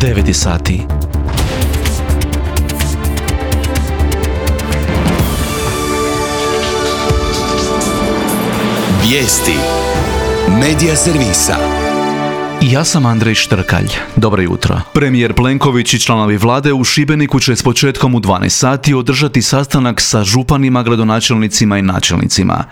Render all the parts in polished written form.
9 sati. Vijesti Medija servisa. Ja sam Andrej Štrkalj. Dobro jutro. Premijer Plenković i članovi vlade u Šibeniku će s početkom u 12 sati održati sastanak sa županima, gradonačelnicima i načelnicima.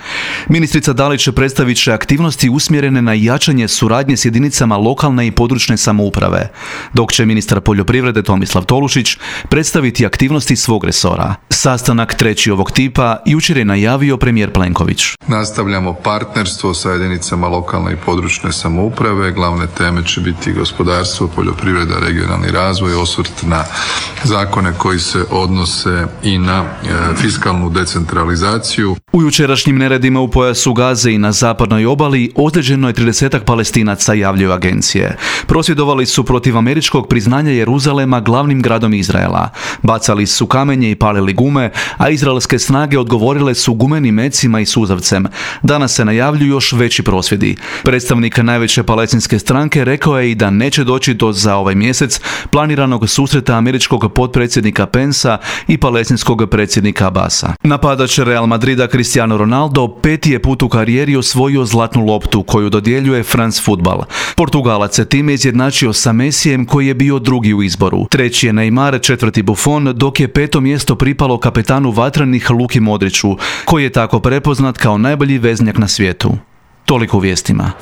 Ministrica Dalić predstavit će aktivnosti usmjerene na jačanje suradnje s jedinicama lokalne i područne samouprave, dok će ministar poljoprivrede Tomislav Tolušić predstaviti aktivnosti svog resora. Sastanak treći ovog tipa jučer je najavio premijer Plenković. Nastavljamo partnerstvo sa jedinicama lokalne i područne samouprave. Glavne teme će biti gospodarstvo, poljoprivreda, regionalni razvoj, osvrt na zakone koji se odnose i na fiskalnu decentralizaciju. U jučerašnjim neredima u pojasu Gaze i na zapadnoj obali ozlijeđeno je 30-ak Palestinaca, javljaju agencije. Prosvjedovali su protiv američkog priznanja Jeruzalema glavnim gradom Izraela. Bacali su kamenje i palili gume, a izraelske snage odgovorile su gumenim mecima i suzavcem. Danas se najavljuju još veći prosvjedi. Predstavnik najveće palestinske stranke rekao je i da neće doći do za ovaj mjesec planiranog susreta američkog potpredsjednika Pensa i palestinskog predsjednika Abasa. Napadač Real Madrida Cristiano Ronaldo peti je put u karijeri osvojio zlatnu loptu koju dodjeljuje France Football. Portugalac se time izjednačio sa Messijem koji je bio drugi u izboru. Treći je Neymar, četvrti Buffon, dok je peto mjesto pripalo kapetanu vatrenih Luki Modriću, koji je tako prepoznat kao najbolji veznjak na svijetu. Toliko u vijestima.